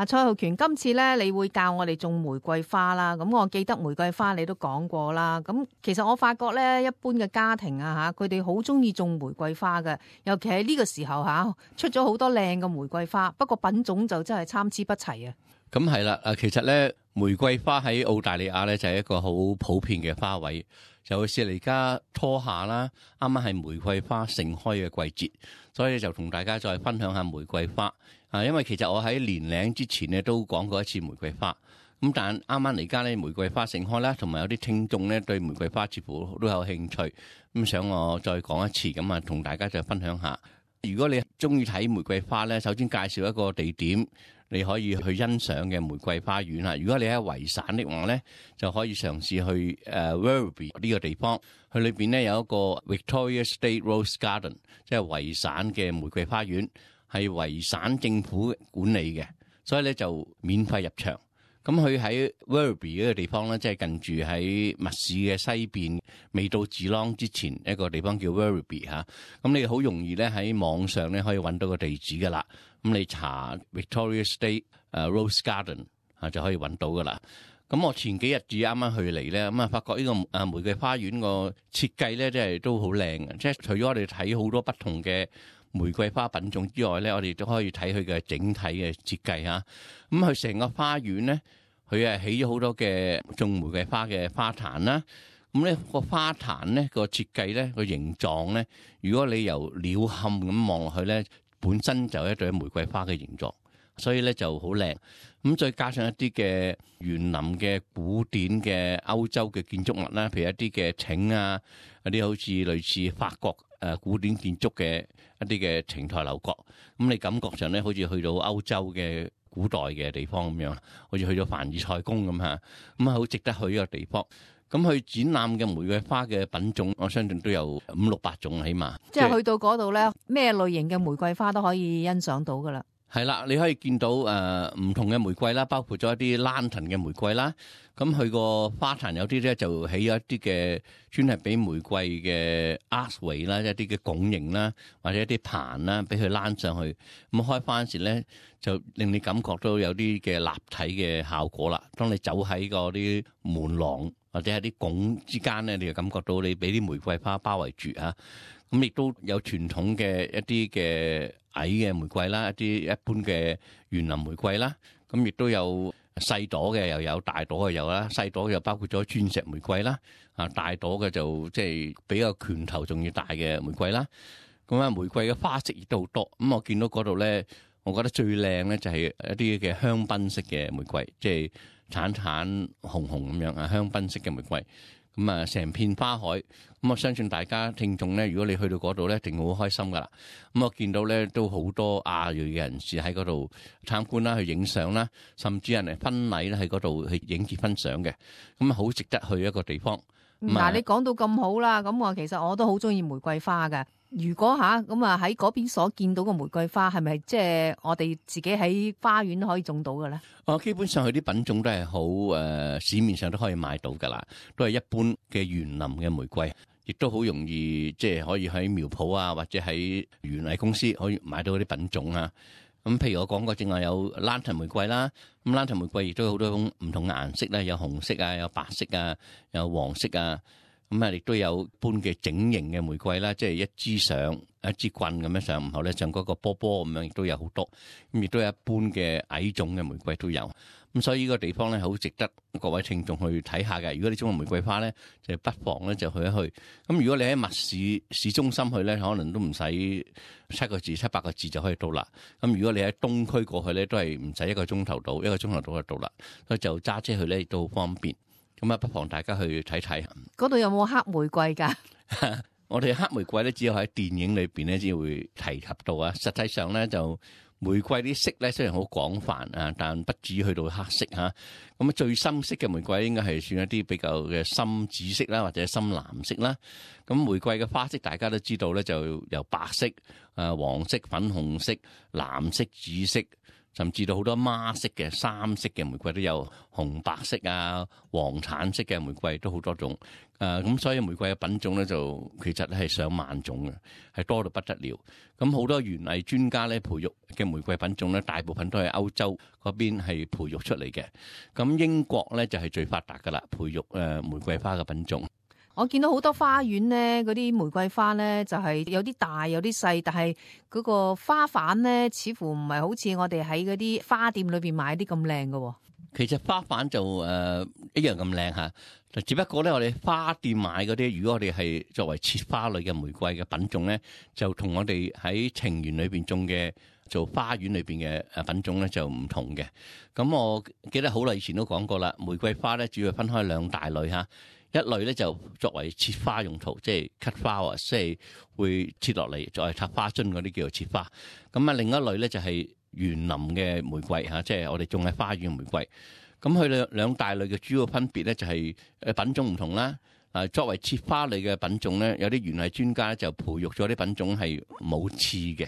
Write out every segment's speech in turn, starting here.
蔡浩權，今次咧你會教我哋種玫瑰花啦。咁我記得玫瑰花你都講過啦。咁其實我發覺咧，一般嘅家庭啊嚇，佢哋好中意種玫瑰花嘅，尤其係呢個時候嚇，出咗好多靚嘅玫瑰花，不過品種就真係參差不齊啊。咁係啦，其實咧玫瑰花喺澳大利亞咧就係一個好普遍嘅花卉，尤其是而家初夏啦，啱啱係玫瑰花盛開嘅季節，所以就同大家再分享下玫瑰花。因為其實我喺年零之前咧都講過一次玫瑰花，咁但啱啱嚟家咧玫瑰花盛開啦，同埋有啲聽眾咧對玫瑰花似乎都有興趣，咁想我再講一次，咁啊同大家再分享下。如果你中意睇玫瑰花咧，首先介紹一個地點你可以去欣賞嘅玫瑰花園啦。如果你喺維省的話咧，就可以嘗試去Werribee 呢個地方，佢裏邊咧有一個 Victoria State Rose Garden， 即係維省嘅玫瑰花園。係維省政府管理嘅，所以咧就免費入場。咁佢喺 Werribee 嗰個地方咧，即係近住喺密市嘅西邊，未到Geelong之前一個地方叫 Werribee 嚇。咁你好容易咧喺網上咧可以揾到個地址噶啦。咁你查 Victoria State Rose Garden 就可以揾到噶啦。咁我前幾日至啱啱去嚟咧，咁啊發覺呢個玫瑰花園個設計咧，即係都好靚嘅。即係除咗我哋睇好多不同嘅玫瑰花品種之外咧，我哋都可以睇佢嘅整體嘅設計嚇。咁佢成個花園咧，佢係起咗好多嘅種玫瑰花嘅花壇啦。咁咧個花壇咧個設計咧個形狀咧，如果你由鳥瞰咁望落去咧，本身就係一朵玫瑰花嘅形狀，所以咧就好靚。咁再加上一啲嘅園林嘅古典嘅歐洲嘅建築物啦，譬如一啲嘅亭啊，一啲好似類似法國古典建築嘅一啲嘅亭台樓閣，咁你感覺上咧好似去到歐洲嘅古代嘅地方咁樣，好似去咗凡爾賽宮咁嚇，咁啊好值得去呢個地方。咁去展覽嘅玫瑰花嘅品種，我相信都有500-600種起碼。即係去到嗰度咧，咩類型嘅玫瑰花都可以欣賞到噶啦。係啦，你可以見到唔同嘅玫瑰啦，包括咗一啲 lantern 嘅玫瑰啦。咁佢個花壇有啲咧就起咗一啲嘅專係俾玫瑰嘅 archway 啦，一啲嘅拱形啦，或者一啲棚啦，俾佢躝上去。咁開翻時咧，就令你感覺到有啲嘅立體嘅效果啦。當你走喺嗰啲門廊或者喺啲拱之間咧，你就感覺到你俾啲玫瑰花包圍住啊。咁亦都有傳統嘅一啲嘅矮嘅玫瑰啦，一啲一般嘅園林玫瑰啦，咁亦都有細朵嘅，又有大朵嘅有啦。細朵又包括咗鑽石玫瑰啦，大朵嘅就即係比較拳頭仲要大嘅玫瑰啦。咁啊，玫瑰嘅花色亦都好多。咁我見到嗰度咧，我覺得最靚咧就係一啲嘅香檳色嘅玫瑰，即係橙橙紅紅咁樣啊，香檳色嘅玫瑰。咁啊，成片花海，咁我相信大家聽眾咧，如果你去到嗰度咧，一定會好開心噶啦。咁我見到咧都好多亞裔嘅人士喺嗰度參觀啦，去影相啦，甚至人哋婚禮咧喺嗰度去影結婚相嘅，咁啊好值得去一個地方。嗱，你講到咁好啦，咁我其實我都好中意玫瑰花嘅。如果咁啊喺嗰邊所見到嘅玫瑰花，係咪即係我哋自己喺花園可以種到嘅咧？基本上佢啲品種都係好市面上都可以買到噶啦，都係一般嘅園林嘅玫瑰，亦都好容易即係可以喺苗圃啊，或者喺園藝公司可以買到嗰啲品種啊。咁譬如我講過，正話有 lantern 玫瑰啦，咁 lantern 玫瑰亦都有好多種唔同嘅顏色啦，有紅色啊，有白色啊，有黃色啊。咁啊，亦都有般嘅整形嘅玫瑰啦，即係一支上一支棍咁樣上，然後咧像嗰個波波咁樣，亦都有好多。咁亦都有一般嘅矮種嘅玫瑰都有。咁所以呢個地方咧，好值得各位聽眾去睇下嘅。如果你中意玫瑰花咧，就不妨咧就去一去。咁如果你喺密市中心去咧，可能都唔使7-8個字就可以到啦。咁如果你喺東區過去咧，都係唔使1個鐘頭到，1個鐘頭到就到啦。所以就揸車去咧亦都好方便。咁啊，不妨大家去睇睇。嗰度有冇黑玫瑰㗎？我哋黑玫瑰咧，只有喺電影裏邊咧先會提及到啊。實際上咧，就玫瑰啲色咧雖然好廣泛啊，但不至於去到黑色嚇。咁啊，最深色嘅玫瑰應該係算一啲比較嘅深紫色啦，或者深藍色啦。咁玫瑰嘅花色大家都知道咧，就由白色、黃色、粉紅色、藍色、紫色、甚至到好多孖色嘅、三色嘅玫瑰都有，紅白色啊、黃橙色嘅玫瑰都好多種。咁所以玫瑰嘅品種咧就其實係上萬種嘅，係多到不得了。咁好多園藝專家咧培育嘅玫瑰品種咧，大部分都係歐洲嗰邊係培育出嚟嘅。咁英國咧就係最發達噶啦，培育玫瑰花嘅品種。我見到好多花園咧，嗰啲玫瑰花咧就係有啲大有啲細，但係嗰個花瓣咧似乎唔係好似我哋喺嗰啲花店裏邊買啲咁靚嘅。其實花瓣就一樣咁靚嚇，只不過咧我哋花店買嗰啲，如果我哋係作為切花類嘅玫瑰嘅品種咧，就同我哋喺情園裏邊種嘅做花園裏邊嘅品種咧就唔同嘅。咁我記得好耐以前都講過啦，玫瑰花咧主要分開兩大類嚇。一類咧就作為切花用途，即係 cut flower，即係會切落嚟作為插花樽嗰啲叫做切花。咁啊，另一類咧就係園林嘅玫瑰嚇，即係我哋種喺花園玫瑰。咁佢兩大類嘅主要分別咧就係品種唔同啦。作為切花類嘅品種咧，有啲園藝專家就培育咗啲品種係冇刺嘅。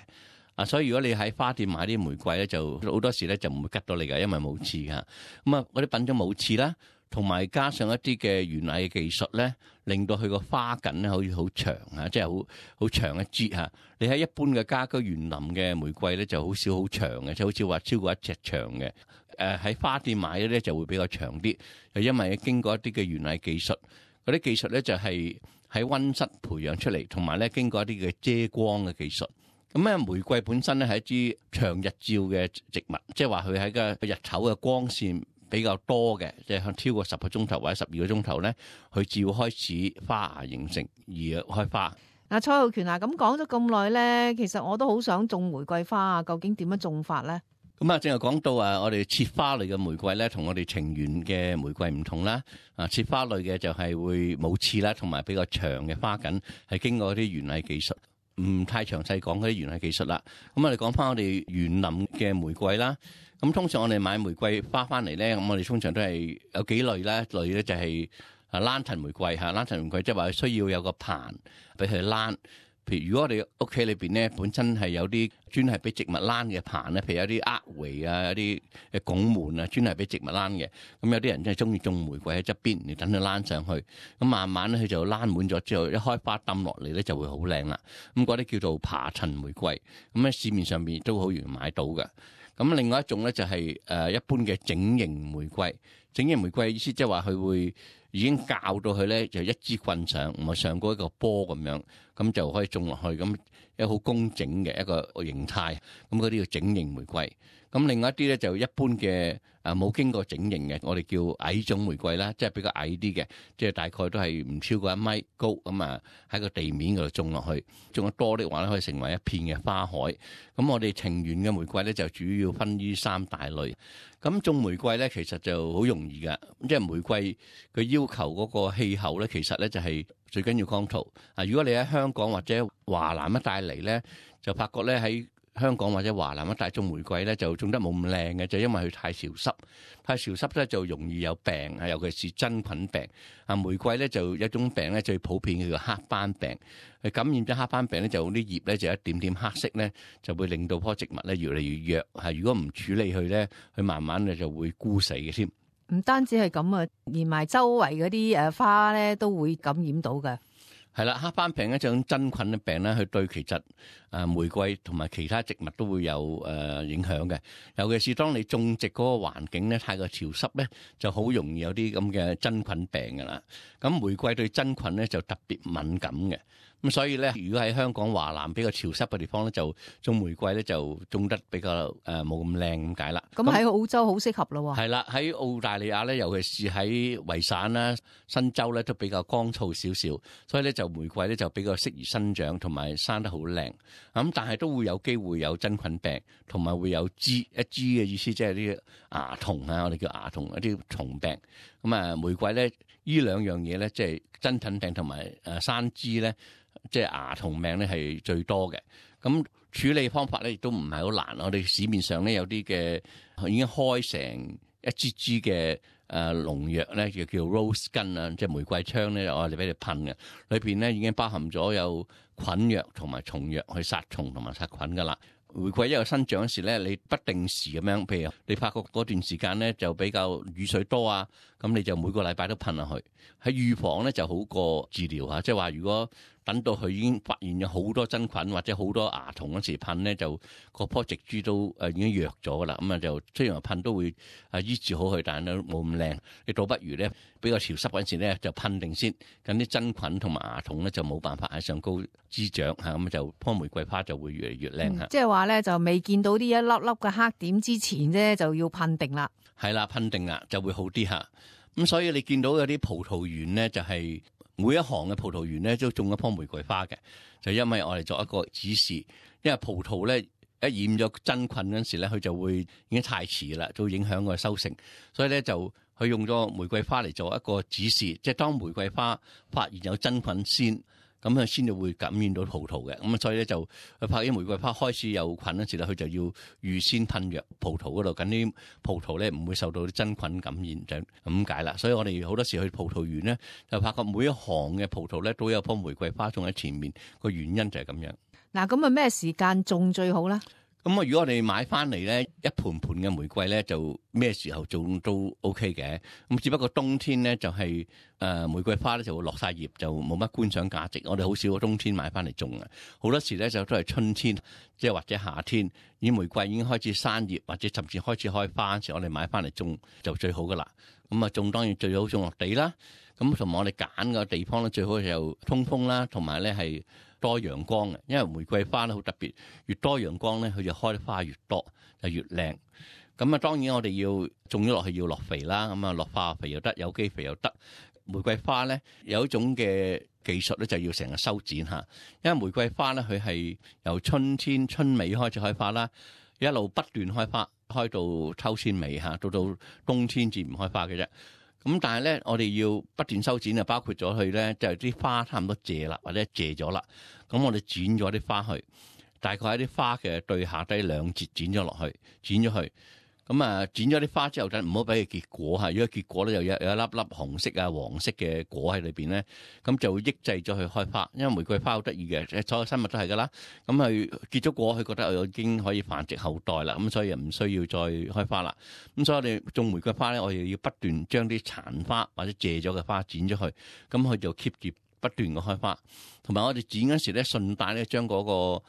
所以如果你喺花店買啲玫瑰咧，就好多時咧就唔會吉到你㗎，因為冇刺㗎。咁啊，嗰啲品種冇刺啦。同埋加上一啲嘅園藝嘅技術咧，令到佢個花梗咧可以好長啊，即係好長一枝嚇。你喺一般嘅家居園林嘅玫瑰咧，就好少好長嘅，即係好似話超過一尺長嘅。喺花店買嘅咧就會比較長啲，就因為經過一啲嘅園藝技術，嗰啲技術咧就係喺溫室培養出嚟，同埋咧經過一啲嘅遮光嘅技術。咁咧玫瑰本身咧係一支長日照嘅植物，即係話佢喺個日頭嘅光線比較多嘅，即係超過10個鐘頭或者12個鐘頭咧，佢至會開始花芽形成而開花。蔡浩權咁講咗咁耐咧，其實我都好想種玫瑰花啊，究竟點樣種法咧？咁正係講到我哋切花類嘅玫瑰咧，同我哋情園嘅玫瑰唔同啦。切花類嘅就係會冇刺啦，同埋比較長嘅花梗，係經過啲園藝技術，唔太詳細講嗰啲園藝技術啦。咁我哋講翻我哋園林嘅玫瑰啦。咁通常我哋買玫瑰花翻嚟咧，咁我哋通常都係有幾類啦。一類咧就係蘭玫瑰嚇，蘭玫瑰即係話需要有個棚俾佢蘭。譬如如果我哋屋企裏邊咧本身係有啲專係俾植物蘭嘅棚咧，譬如有啲厄圍啊，有啲拱門啊，專係俾植物蘭嘅。咁有啲人真係中意種玫瑰喺側邊，你等佢蘭上去。咁慢慢咧佢就蘭滿咗之後，一開花抌落嚟咧就會好靚啦。咁嗰啲叫做爬層玫瑰。咁喺市面上面都好容易買到嘅。咁另外一種咧就係一般嘅整形玫瑰。整形玫瑰意思即係話佢會已經校到佢咧就一支棍上，唔係上過一個波咁樣，咁就可以種落去，咁一個好工整嘅一個形態。咁嗰啲叫整形玫瑰。咁另外一啲咧就一般嘅冇經過整形嘅，我哋叫矮種玫瑰啦，即係比較矮啲嘅，即係大概都係唔超過1米高，咁喺個地面嗰度種落去，種得多啲話咧可以成為一片嘅花海。咁我哋情園嘅玫瑰咧就主要分於3大類。咁種玫瑰咧其實就好容易噶，即係玫瑰佢要求嗰個氣候咧，其實咧就係最緊要光禿。如果你喺香港或者華南一帶嚟咧，就發覺咧喺香港或者華南一帶種玫瑰咧就種得冇咁靚嘅，就因為佢太潮濕，太潮濕咧就容易有病，尤其是真菌病。玫瑰咧就有一種病咧最普遍嘅叫黑斑病，佢感染咗黑斑病咧就啲葉咧就一點點黑色咧，就會令到棵植物咧越嚟越弱。如果唔處理佢咧，佢慢慢就會枯死嘅添。唔單止係咁啊，連埋周圍嗰啲花咧都會感染到嘅。係啦，黑斑病一種真菌嘅病咧，佢對其實玫瑰同埋其他植物都會有影響嘅。尤其是當你種植嗰個環境咧太過潮濕咧，就好容易有啲咁嘅真菌病噶啦。咁玫瑰對真菌咧就特別敏感嘅。咁所以咧，如果喺香港華南比較潮濕嘅地方咧，就種玫瑰咧就種得比較冇咁靚咁解啦。咁喺澳洲好適合咯喎。係啦，喺澳大利亞咧，尤其是喺維省啦、新州咧，都比較乾燥少少，所以咧就玫瑰咧就比較適宜生長同埋生得好靚。咁但係都會有機會有真菌病，同埋會有一支嘅意思，即係啲蚜蟲啊，我哋叫蚜蟲一啲蟲病。咁玫瑰咧呢兩樣嘢咧，即係真菌病同埋生枝咧。即係蚜蟲病咧係最多嘅，咁處理方法咧亦都唔係好難。我哋市面上咧有啲嘅已經開成一支支嘅農藥咧，就叫 rose gun 啊，即係玫瑰槍咧，我哋俾你噴嘅，裏邊咧已經包含咗有菌藥同埋蟲藥去殺蟲同埋殺菌噶啦。玫瑰一個生長時咧，你不定時咁樣，譬如你發覺嗰段時間咧就比較雨水多啊，咁你就每個禮拜都噴落去。喺預防咧就好過治療嚇，即係話如果等到佢已經發現有好多真菌或者好多蚜蟲嗰時噴咧，就個棵植株都已經弱咗噶啦，咁啊就雖然話噴都會醫治好佢，但係都冇咁靚。你倒不如咧比較潮濕嗰陣時咧就噴定先，咁啲真菌同埋蚜蟲咧就冇辦法喺上高滋長嚇，咁就棵玫瑰花就會越嚟越靚嚇。即係話咧就未見到啲一粒粒嘅黑點之前咧就要噴定啦。係啦，噴定啦就會好啲嚇。咁所以你見到有啲葡萄園咧就係每一行嘅葡萄園咧都種一棵玫瑰花嘅，就因為我哋作一個指示，因為葡萄咧一染咗真菌嗰陣時咧，佢就會已經太遲啦，都影響個收成，所以咧就佢用咗玫瑰花嚟做一個指示，即係當玫瑰花發現有真菌先。咁佢先至會感染到葡萄嘅，咁所以咧就佢發現玫瑰花開始有菌嗰時咧，佢就要預先噴藥葡萄嗰度，咁啲葡萄咧唔會受到啲真菌感染，就咁解啦。所以我哋好多時去葡萄園咧，就發覺每一行嘅葡萄咧都有棵玫瑰花種喺前面，個原因就係咁樣。嗱，咁啊咩時間種最好咧？咁啊，如果我哋買翻嚟咧，一盤盤嘅玫瑰咧，就咩時候種都 OK 嘅。咁只不過冬天咧就係玫瑰花咧就會落晒葉，就冇乜觀賞價值。我哋好少冬天買翻嚟種嘅，好多時咧就都係春天，即係或者夏天，啲玫瑰已經開始生葉或者甚至開始開花嗰時，我哋買翻嚟種就最好噶啦。咁啊，種當然最好種落地啦。咁同埋我哋揀個地方咧，最好就通風啦，同埋咧係多陽光嘅，因為玫瑰花咧好特別，越多陽光咧，佢就開得花越多，就越靚。咁啊，當然我哋要種咗落去要落肥啦，咁啊落化肥又得，有機肥又得。玫瑰花咧有一種嘅技術咧，就要成日修剪嚇，因為玫瑰花咧佢係由春天春尾開始開花啦，一路不斷開花，開到秋天尾嚇，到冬天至唔開花嘅啫。咁但係咧，我哋要不斷修剪，就包括咗佢咧，就係啲花差唔多謝啦，或者謝咗啦。咁我哋剪咗啲花去，大概喺啲花嘅對下低2節剪咗落去，剪咗去。咁啊，剪咗啲花之後，就唔好俾佢結果嚇。如果結果咧，又有一粒粒紅色啊、黃色嘅果喺裏邊咧，咁就會抑制咗佢開花。因為玫瑰花好得意嘅，所有生物都係噶啦。咁佢結咗果，佢覺得我已經可以繁殖後代啦，咁所以又唔需要再開花啦。咁所以我哋種玫瑰花咧，我哋要不斷將啲殘花或者謝咗嘅花剪咗去，咁佢就 keep 住不斷嘅開花。同埋我哋剪嗰時咧，順帶咧將嗰個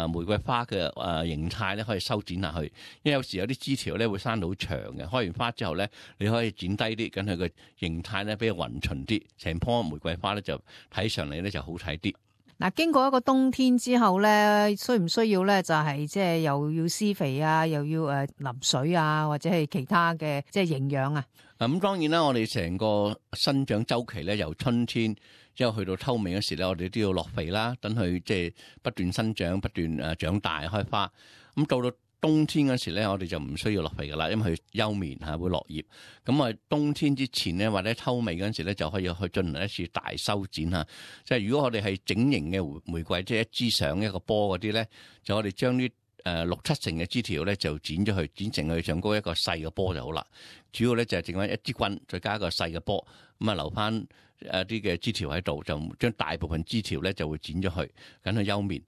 玫瑰花嘅形態咧可以修剪下去，因為有時有啲枝條咧會生到好長嘅，開完花之後咧你可以剪低啲，咁佢個形態咧比較勻循啲，成棵玫瑰花咧就睇上嚟咧就好睇啲。嗱，經過一個冬天之後咧，需唔需要咧就係即係又要施肥啊，又要淋水啊，或者係其他嘅即係營養啊？咁當然啦，我哋成個生長周期咧，由春天之後去到秋尾嗰時咧，我哋都要落肥啦，等佢即係不斷生長、不斷長大開花。咁到冬天嗰時咧，我哋就唔需要落肥噶啦，因為佢休眠嚇會落葉。咁啊，冬天之前咧或者秋尾嗰陣時咧，就可以去進行一次大修剪嚇。即係如果我哋係整形嘅玫瑰，即係一支上一個波嗰啲咧，就我哋將啲6-7成嘅枝條咧就剪咗去，剪成佢上高一個細嘅波就好啦。主要咧就係剩翻一支棍，再加一個細嘅波，咁啊留翻啲嘅枝條喺度，就將大部分枝條咧就會剪咗去，等佢休眠。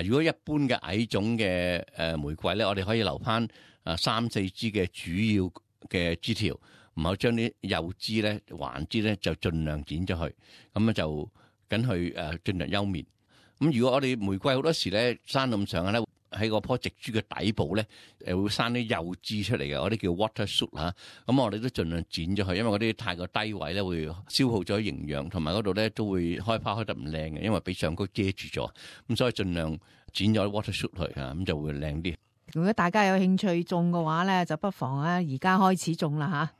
如果一般嘅矮種嘅玫瑰咧，我哋可以留翻3-4支嘅主要嘅枝條，唔好將啲幼枝咧、橫枝咧就盡量剪咗去，咁咧就等佢盡量休眠。咁如果我哋玫瑰好多時咧生咁上下咧，喺嗰棵植株嘅底部咧，會生啲幼枝出嚟嘅，嗰啲叫 water shoot 嚇。咁我哋都盡量剪咗佢，因為嗰啲太過低位咧，會消耗咗營養，同埋嗰度咧都會開花開得唔靚嘅，因為俾上高遮住咗。咁所以盡量剪咗 water shoot 去嚇，咁就會靚啲。如果大家有興趣種嘅話咧，就不妨而家開始種啦嚇。